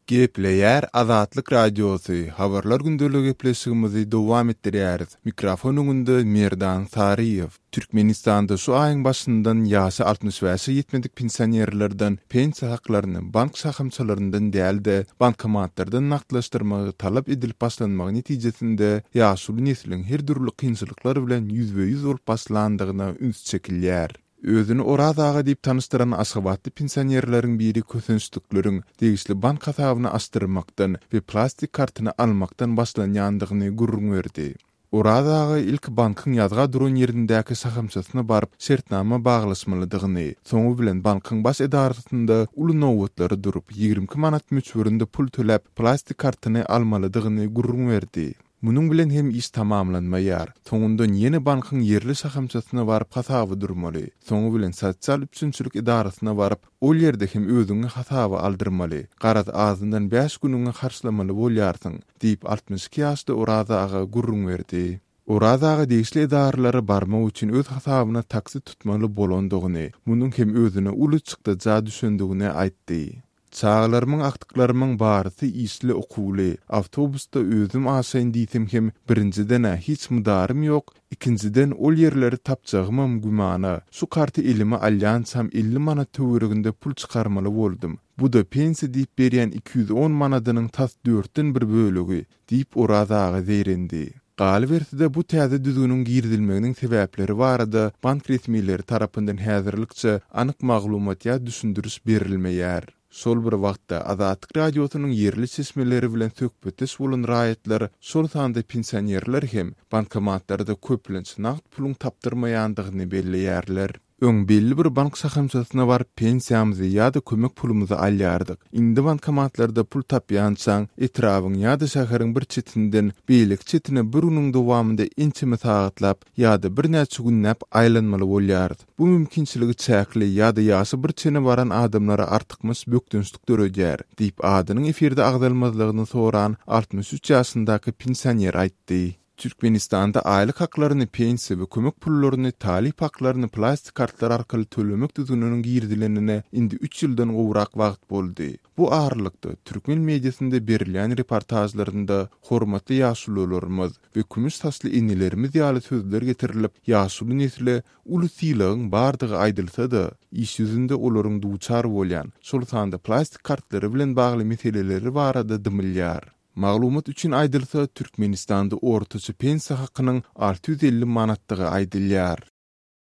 Gepleýär Azatlyk Radiosy, Habarlar gündeligi gepleşigimizi dowam etdirýäris. Mikrofon öňünde Merdan Saryýew. Türkmenistanda şu aýyň başyndan ýaşy 65-e ýetmedik pensionerlerden pensiýa haklaryny bank şahamçalaryndan däl-de, bankomatlardan nagtlaşdyrmagy talap edilip başlanmagy netijesinde ýaşuly nesliň her dürli kynçylyklar bilen ýüzbe-ýüz bolup başlandygyna üns çekilýär. Özüni Oraz aga diýip tanyşdyran aşgabatly pensionerleriň biri kösençlikleriň degişli bank hasabyny açdyrmakdan we plastik kartyny almakdan başlanýandygyny gürrüň berdi. Oraz aga ilki bankyň ýazga duran ýerindäki şahamçasyna baryp şertnama baglaşmalydygyny, soňy bilen bankyň baş edarasynda uly nobatlara durup, 22 manat möçberinde pul töläp plastik kartyny almalydygyny gürrüň berdi. Munuň bilen hem iş tamamlanmaýar. Soňundan ýene bankyň ýerli şahamçasyna baryp hasaba durmaly. Soňy bilen sosial üpjünçilik edarasyna baryp, ol ýerde hem özüňi hasaba aldyrmaly. Garaz, azyndan bäş günüňi harçlamaly bolýarsyň, diýip, 62 ýaşly Oraz aga gürrüň berdi. Oraz aga degişli edaralara barmak üçin öz hasabyna taksi tutmaly bolandygyny, munuň hem özüne uly çykdaja düşendigini aýtdy. Çagalarymyň, agtyklarymyň barysy işli, okuwly. Awtobusda özüm aşaýyn diýsem hem, birinjiden-ä, hiç mydarym ýok, ikinjiden, ol ýerleri tapjagymam gümana. Şu karty elime alýançam 50 manat töwereginde pul çykarmaly boldum. Bu-da pensiýa diýip berýän 210 manadynyň tas dörtden bir bölegi, diýip, Oraz aga zeýrendi. Galyberse-de, bu täze düzgüniň girizilmeginiň sebäpleri barada bank resmileri tarapyndan häzirlikçe anyk maglumat ýa düşündiriş berilmeýär. Şol bir wagtda, Azatlyk Radiosynyň ýerli çeşmeleri bilen söhbetdeş bolan raýatlar, şol sanda pensionerler hem bankomatlarda köplenç nagt puluň tapdyrmaýandygyny belleýärler. Öň belli bir bank şahamçasyna baryp pensiýamyzy ýa-da kömek pulumyzy alýardyk. Indi bankomatlarda pul tapýançaň, etrabyň ýa-da şäheriň bir çetinden beýleki çetine bir günüň dowamynda ençeme sagatlap ýa-da birnäçe günläp aýlanmaly bolýarys. Bu mümkinçiligi çäkli ýa-da ýaşy bir çene baran adamlara artykmaç bökdençlik döredýär, diýip, adynyň efirde agzalmazlygyny soran 63 ýaşyndaky pensioner aýtdy. Türkmenistanda aýlyk haklaryny, pensiýa we kömek pullaryny, talyp haklaryny plastik kartlar arkaly tölemek düzgüniniň girizilenine indi üç ýyldan gowrak wagt boldy. Bu aralykda, türkmen mediasynda berilýän reportažlarynda hormatly ýaşulularymyz we kümüş saçly enelerimiz ýaly sözler getirilip, ýaşuly nesle uly sylagyň bardygy aýdylsa-da, iş ýüzünde olaryň duçar bolýan, şol sanda plastik kartlary bilen bagly meseleleri barada dymylýar. Maglumat üçin aýdylsa, Türkmenistanda ortaça pensiýa hakynyň 650 manatdygy aýdylýar.